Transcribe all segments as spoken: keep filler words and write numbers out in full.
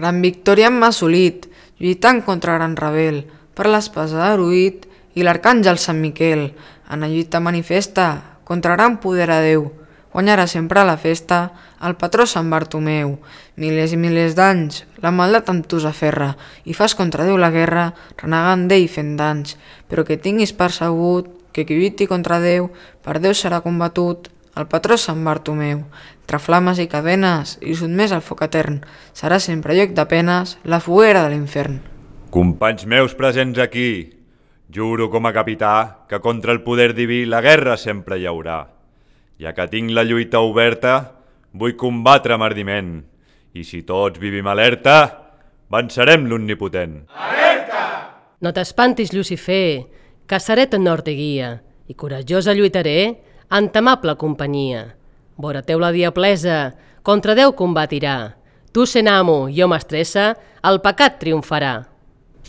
Gran victòria hem assolit, lluitant contra gran rebel, per l'espasa d'Aruit i l'arcàngel Sant Miquel. En la lluita manifesta, contra gran poder a Déu, guanyarà sempre a la festa el patró Sant Bartomeu. Milers i milers d'anys, la maldat amb tu s'aferra, i fas contra Déu la guerra, renegant d'ell fent danys. Però que tinguis percebut que qui lluiti contra Déu, per Déu serà combatut, el patró Sant Bartomeu. Entre flames i cadenes, i sotmès al foc etern, serà sempre lloc de penes la foguera de l'infern. Companys meus presents aquí, juro com a capità que contra el poder diví la guerra sempre hi haurà. Ja que tinc la lluita oberta, vull combatre amb ardiment. I si tots vivim alerta, vencerem l'omnipotent. Alerta! No t'espantis, Lucifer, que seré ton nord i guia, i corajosa lluitaré en t'amable companyia. Vora teu la diablesa, contra Déu combatirà. Tu sent amo i home estressa, el pecat triomfarà.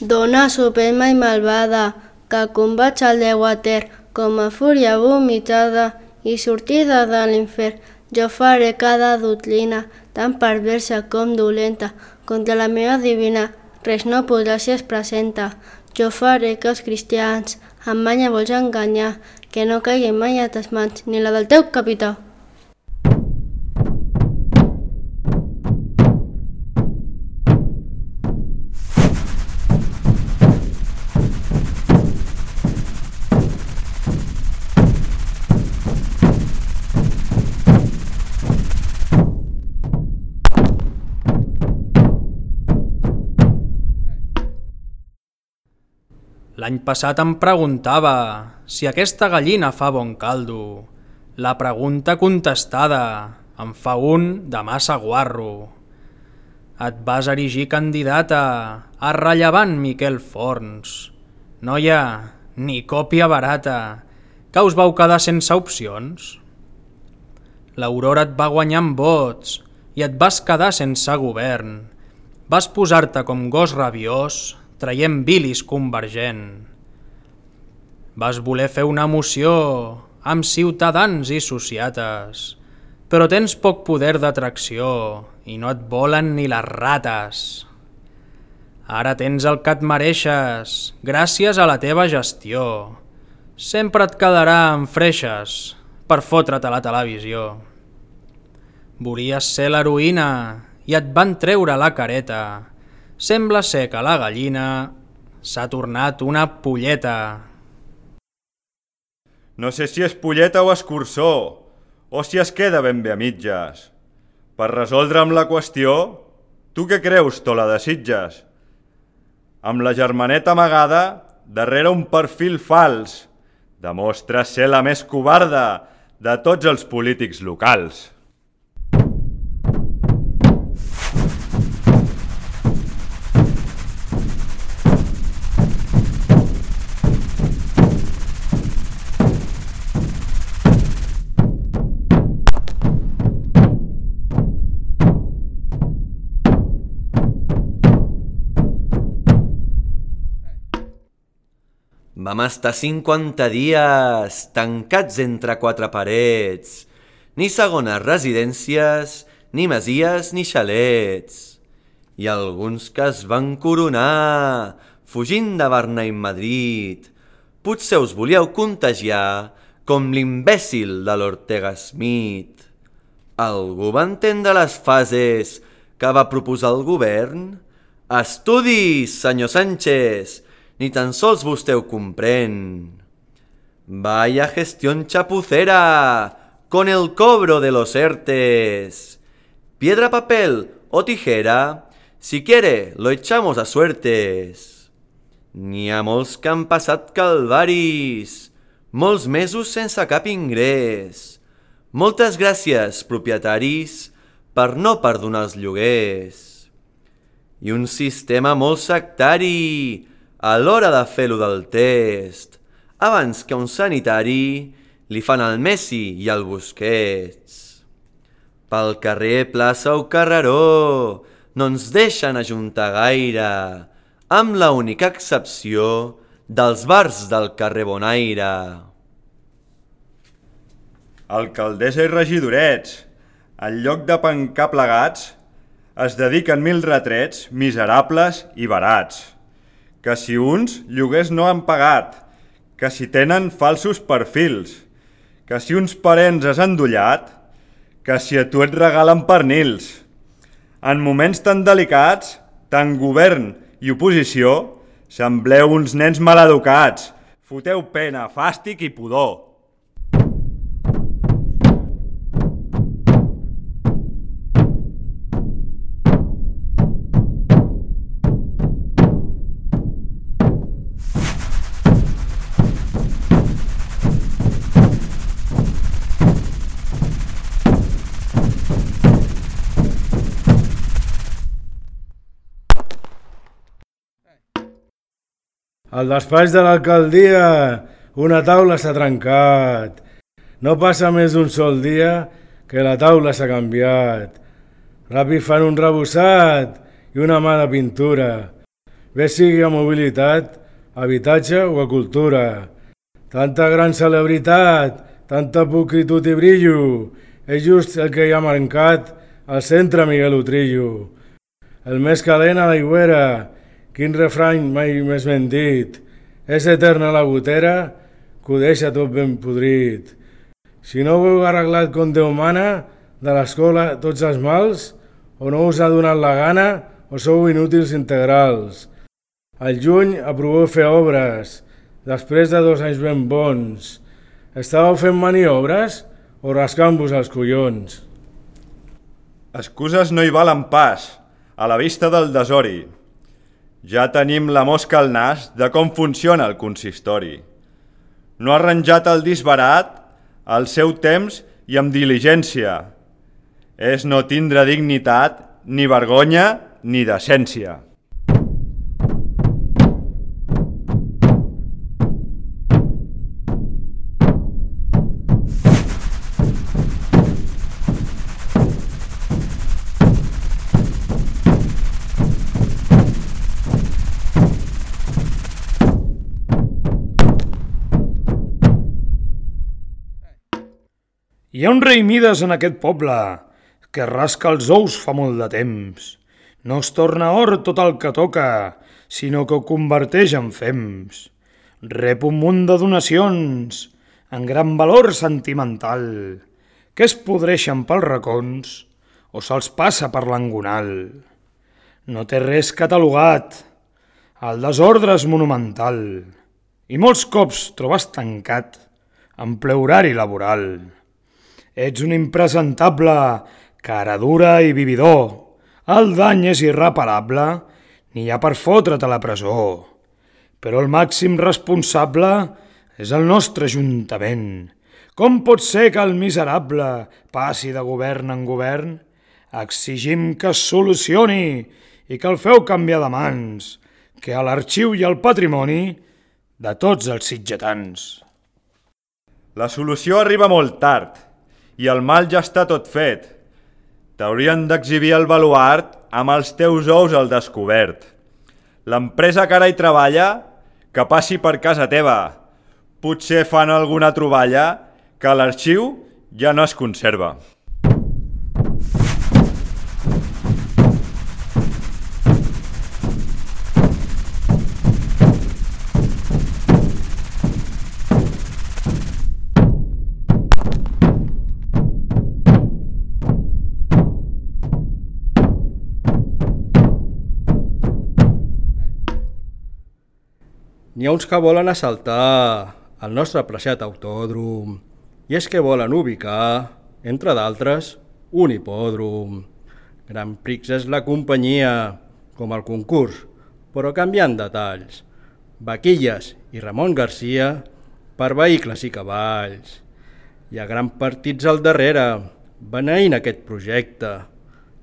Dona suprema i malvada, que combats el Déu etern, com a fúria vomitada, i sortida de l'infern. Jo faré cada doctrina, tan perversa com dolenta, contra la meva divina, res no podrà si es presenta. Jo faré que els cristians amb manya vols enganyar, que no caiguin mai a tes mans, ni la del teu capità. L'any passat em preguntava si aquesta gallina fa bon caldo. La pregunta contestada, em fa un de massa guarro. Et vas erigir candidata a rellevant Miquel Forns. Noia, ni còpia barata, que us vau quedar sense opcions. L'Aurora et va guanyar amb vots i et vas quedar sense govern. Vas posar-te com gos rabiós, traient bilis convergent. Vas voler fer una moció amb ciutadans i sociates, però tens poc poder d'atracció i no et volen ni les rates. Ara tens el que et mereixes gràcies a la teva gestió. Sempre et quedarà en freixes per fotre't a la televisió. Volies ser l'heroïna i et van treure la careta. Sembla ser que la gallina s'ha tornat una polleta. No sé si és polleta o escurçó, o si es queda ben bé a mitges. Per resoldre'm la qüestió, tu què creus, Tola de Sitges? Amb la germaneta amagada, darrere un perfil fals, demostra ser la més covarda de tots els polítics locals. Vam estar cinquanta dies tancats entre quatre parets, ni segones residències, ni masies ni xalets. I alguns que es van coronar, fugint de Barna i Madrid, potser us volíeu contagiar com l'imbècil de l'Ortega Smith. Algú va entendre les fases que va proposar el govern? Estudis, senyor Sánchez, ni tan sols vostè ho comprèn. Vaya gestión chapucera, con el cobro de los ERTES. Piedra, papel o tijera, si quiere lo echamos a suertes. N'hi ha molts que han passat calvaris, molts mesos sense cap ingrés. Moltes gràcies, propietaris, per no perdonar els lloguers. I un sistema molt sectari, a l'hora de fer-lo del test, abans que un sanitari li fan el Messi i el Busquets. Pel carrer, plaça o carreró no ens deixen ajuntar gaire, amb la única excepció dels bars del carrer Bonaire. Alcaldessa i regidorets, en lloc de pencar plegats, es dediquen mil retrets miserables i barats, que si uns lloguers no han pagat, que si tenen falsos perfils, que si uns parents has endollat, que si a tu et regalen pernils. En moments tan delicats, tant govern i oposició, sembleu uns nens maleducats, foteu pena, fàstic i pudor. Al despatx de l'alcaldia una taula s'ha trencat. No passa més d'un sol dia que la taula s'ha canviat. Ràpid fan un rebossat i una mà de pintura. Bé sigui a mobilitat, habitatge o a cultura. Tanta gran celebritat, tanta pulcritud i brillo, és just el que hi ha marcat al centre Miguel Utrillo. El més calent a l'aigüera, quin refrany mai més ben dit. És eterna la gotera que ho deixa tot ben podrit. Si no ho heu arreglat com Déu mana, de l'escola tots els mals, o no us ha donat la gana o sou inútils integrals. Al juny aproveu fer obres, després de dos anys ben bons. Estàveu fent maniobres o rascant-vos els collons? Excuses no hi valen pas, a la vista del desori. Ja tenim la mosca al nas de com funciona el consistori. No ha arranjat el disbarat al seu temps i amb diligència. És no tindre dignitat, ni vergonya, ni decència. Hi ha un rei Mides en aquest poble, que rasca els ous fa molt de temps. No es torna or tot el que toca, sinó que ho converteix en fems. Rep un munt de donacions, en gran valor sentimental, que es podreixen pels racons o se'ls passa per l'engonal. No té res catalogat, el desordre és monumental, i molts cops trobes tancat en ple horari laboral. Ets un impresentable, cara dura i vividor. El dany és irreparable, n'hi ha per fotre't a la presó. Però el màxim responsable és el nostre ajuntament. Com pot ser que el miserable passi de govern en govern? Exigim que es solucioni i que el feu canviar de mans, que a l'arxiu i al patrimoni de tots els sitgetans. La solució arriba molt tard, i el mal ja està tot fet. T'haurien d'exhibir el baluart amb els teus ous al descobert. L'empresa que ara hi treballa, que passi per casa teva. Potser fan alguna troballa que a l'arxiu ja no es conserva. N'hi ha uns que volen assaltar el nostre apreciat autòdrom, i és que volen ubicar, entre d'altres, un hipòdrom. Grand Prix és la companyia, com el concurs, però canviant detalls. Vaquilles i Ramon Garcia per vehicles i cavalls. Hi ha grans partits al darrere, beneint aquest projecte,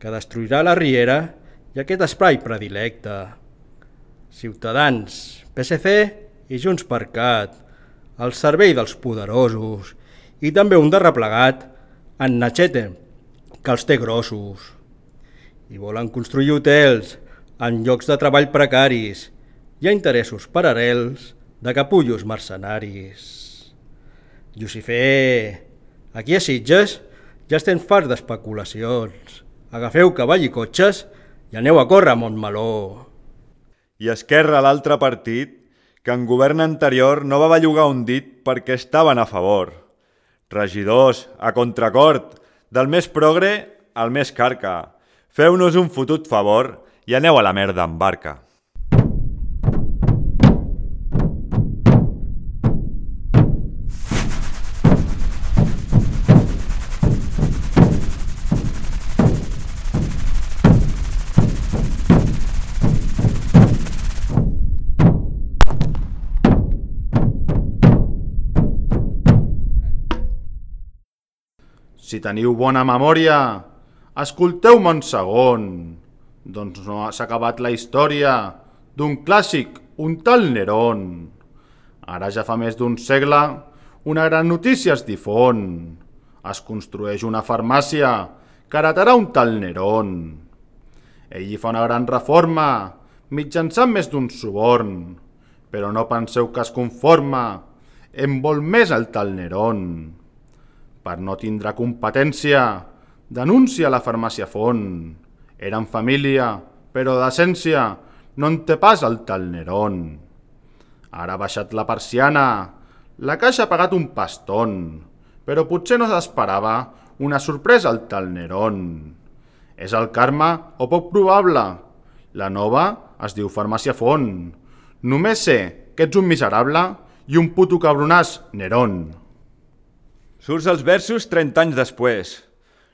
que destruirà la riera i aquest espai predilecte. Ciutadans, P S C i Junts per Cat, al servei dels poderosos, i també un de replegat, en Nachete, que els té grossos. I volen construir hotels en llocs de treball precaris i a interessos paral·lels de capullos mercenaris. Llucifer, aquí a Sitges ja estem farts d'especulacions. agafeu cavall i cotxes i aneu a córrer a Montmeló. I Esquerra, l'altre partit, que en govern anterior no va bellugar un dit perquè estaven a favor. Regidors, a contracort, del més progre al més carca. Feu-nos un fotut favor i aneu a la merda amb barca. Si teniu bona memòria, escolteu-me un segon. Doncs no s'ha acabat la història d'un clàssic, un tal Nerón. Ara ja fa més d'un segle, una gran notícia es difon. Es construeix una farmàcia que heretarà un tal Nerón. Ell hi fa una gran reforma, mitjançant més d'un suborn. Però no penseu que es conforma, en vol més el tal Nerón. Per no tindre competència, denuncia la farmàcia font. Eren família, però d'essència no en té pas el tal Nerón. Ara ha baixat la persiana, la caixa ha pagat un pastón, però potser no s'esperava una sorpresa al tal Nerón. És el karma o poc probable. La nova es diu farmàcia font. Només sé que ets un miserable i un puto cabronàs, Nerón. Surts els versos trenta anys després.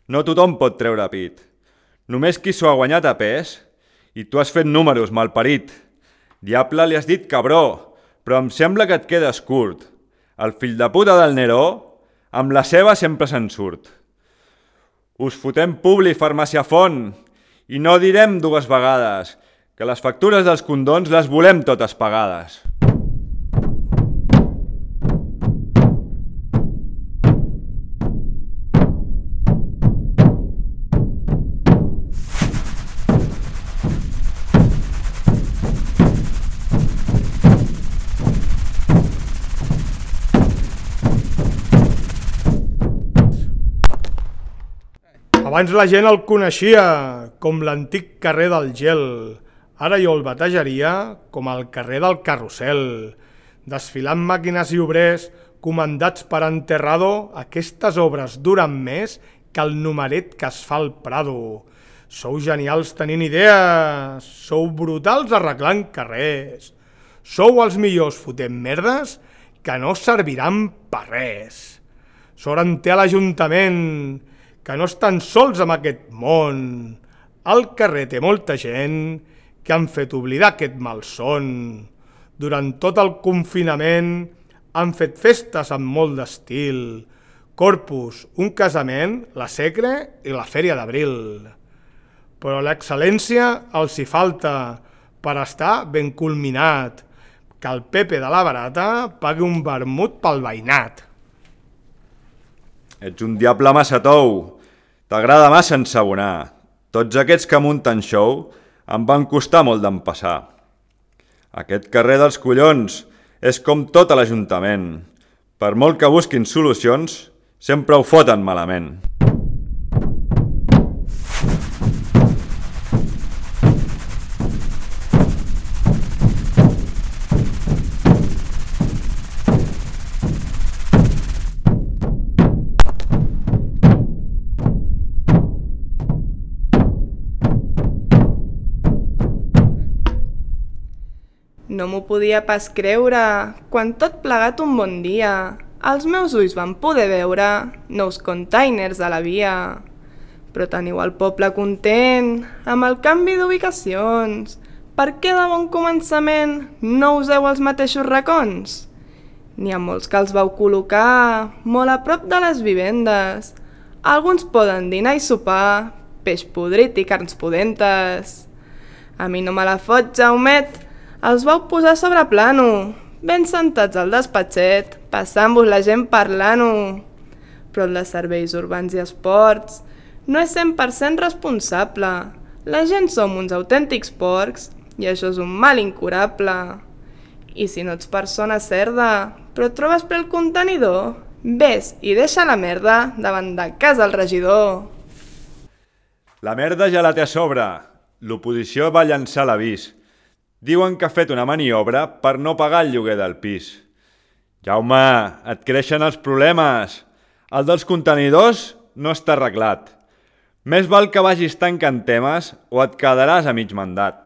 No tothom pot treure pit. Només qui s'ho ha guanyat a pes, i tu has fet números, malparit. Diable li has dit cabró, però em sembla que et quedes curt. El fill de puta del Neró, amb la seva sempre se'n surt. Us fotem publi, farmàcia font, i no direm dues vegades, que les factures dels condons les volem totes pagades. Abans la gent el coneixia com l'antic carrer del gel. Ara jo el batejaria com el carrer del carrusel. Desfilant màquines i obrers comandats per Enterrado, aquestes obres duren més que el numeret que es fa al Prado. Sou genials tenint idees, sou brutals arreglant carrers. Sou els millors fotent merdes que no serviran per res. Sort en té a l'Ajuntament, que no estan sols en aquest món. Al carrer té molta gent que han fet oblidar aquest malson. Durant tot el confinament han fet festes amb molt d'estil. Corpus, un casament, la Secre i la Fèria d'Abril. Però l'excel·lència els hi falta per estar ben culminat. Que el Pepe de la Barata pagui un vermut pel veïnat. Ets un diable massa tou. T'agrada massa ensabonar. Tots aquests que munten show em van costar molt d'empassar. Aquest carrer dels collons és com tot a l'Ajuntament. Per molt que busquin solucions, sempre ho foten malament. No m'ho podia pas creure, quan tot plegat un bon dia, els meus ulls van poder veure nous containers a la via. Però teniu el poble content amb el canvi d'ubicacions. Per què de bon començament no useu els mateixos racons? N'hi ha molts que els vau col·locar molt a prop de les vivendes. Alguns poden dinar i sopar, peix podrit i carns pudentes. A mi no me la fot, Jaumet, els vau posar sobre plano, ben sentats al despatxet, passant-vos la gent parlant-ho. Però el de serveis urbans i esports no és cent per cent responsable. La gent som uns autèntics porcs i això és un mal incurable. I si no ets persona cerda, però et trobes ple el contenidor, vés i deixa la merda davant de casa el regidor. La merda ja la té a sobre. L'oposició va llançar l'avís. Diuen que ha fet una maniobra per no pagar el lloguer del pis. Jaume, et creixen els problemes. El dels contenidors no està arreglat. Més val que vagis tancant temes o et quedaràs a mig mandat.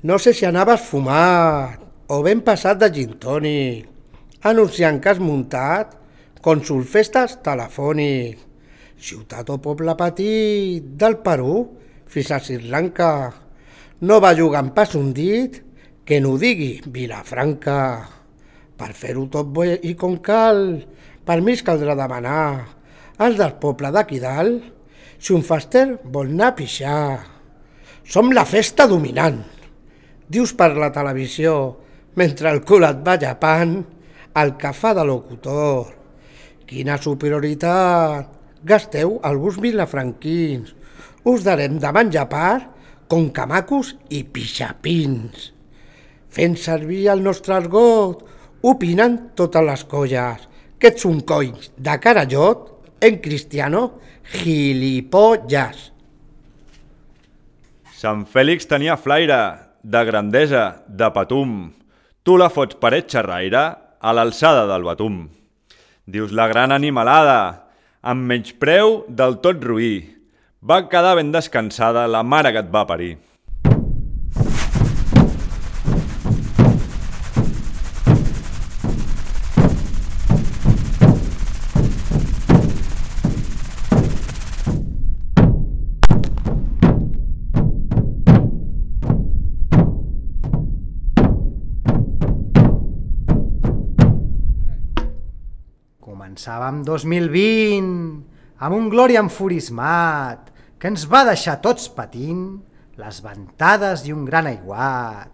No sé si anaves fumat o ben passat de gin tònic, anunciant que has muntat Cònsol Festes telefònic, ciutat o poble petit del Perú fins a Sri Lanka. No va jugant pas un dit que no digui Vilafranca. Per fer-ho tot bé i com cal, permís caldrà demanar als del poble d'aquí dalt si un fester vol anar a pixar. Som la festa dominant. Dius per la televisió, mentre el cul et va llepant, el que fa de locutor. Quina superioritat! Gasteu alguns vilafranquins. Us darem de menjar part com camacos i pixapins. Fent servir el nostre argot, opinen totes les colles que ets un coll de carallot en cristiano gilipollas. Sant Fèlix tenia flaire, de grandesa, de patum. Tu la fots paret xerraire a l'alçada del batum. Dius la gran animalada, amb menyspreu del tot roí. Va quedar ben descansada la mare que et va parir. Començàvem dos mil vint, amb un Glòria enfurismat, que ens va deixar tots patint les ventades i un gran aiguat.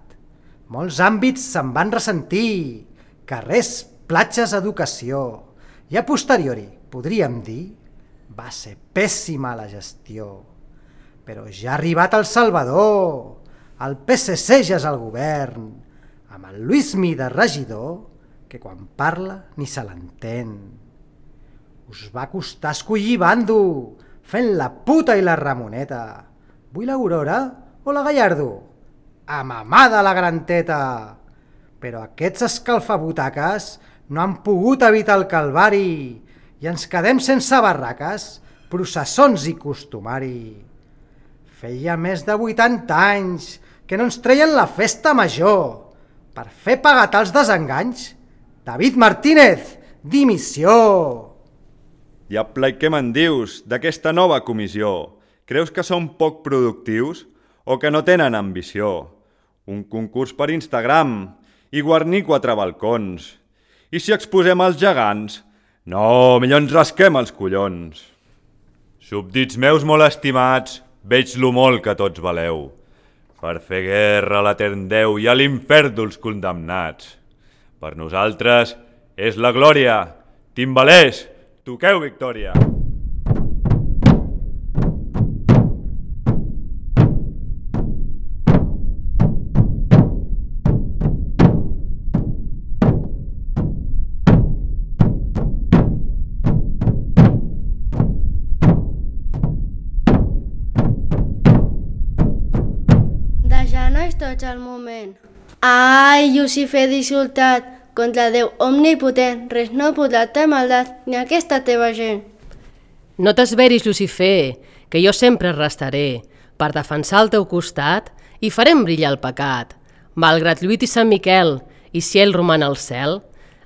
Molts àmbits se'n van ressentir, carrers, platges, educació, i a posteriori, podríem dir, va ser pèssima la gestió. Però ja ha arribat El Salvador, el P S C ja és al govern, amb el Luismi de regidor, que quan parla ni se l'entén. Us va costar escollir bando, fent la puta i la Ramoneta. Vull l'Aurora o la Gallardo? A mamada la gran teta! Però aquests escalfabutaques no han pogut evitar el calvari i ens quedem sense barraques, processons i costumari. Feia més de vuitanta anys que no ens treien la festa major. Per fer pagar els desenganys, David Martínez, dimissió! Diable, i què me'n dius d'aquesta nova comissió? Creus que són poc productius o que no tenen ambició? Un concurs per Instagram i guarnir quatre balcons. I si exposem els gegants? No, millor ens rasquem els collons. Súbdits meus molt estimats, veig lo molt que tots valeu. Per fer guerra a l'etern Déu i a l'infern dels condemnats. Per nosaltres és la glòria. Timbalers, toqueu victòria. De genolls tots al moment. Ai, Llucifer dissultat, contra Déu omnipotent, res no podrà ter maldat ni aquesta teva gent. No t'esveris, Llucifer, que jo sempre restaré per defensar el teu costat i farem brillar el pecat. Malgrat lluit i Sant Miquel, i si ell roman al cel,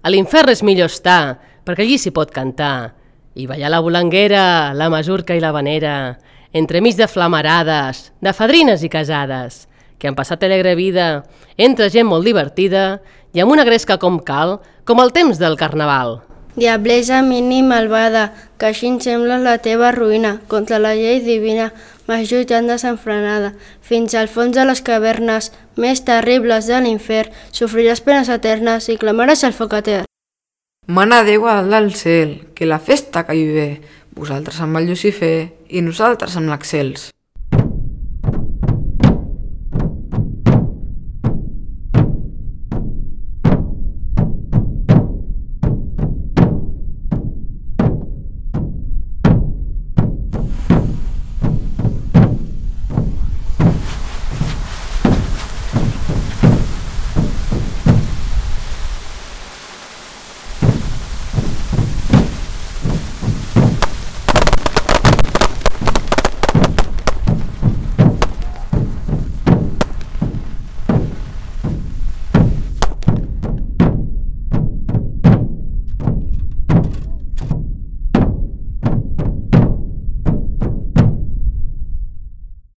a l'infern és millor estar, perquè allí s'hi pot cantar, i ballar la volanguera, la masurca i la vanera, entremig de flamarades, de fadrines i casades, que han passat alegre vida entre gent molt divertida i amb una gresca com cal, com el temps del carnaval. Diablesa mini malvada, que així em sembla la teva ruïna, contra la llei divina, vas lluitant desenfrenada, fins al fons de les cavernes més terribles de l'infern, sofriràs penes eternes i clamaràs al foc etern. Mana Déu a dalt del cel, que la festa caigui bé, vosaltres amb el Llucifer i nosaltres amb l'Excels.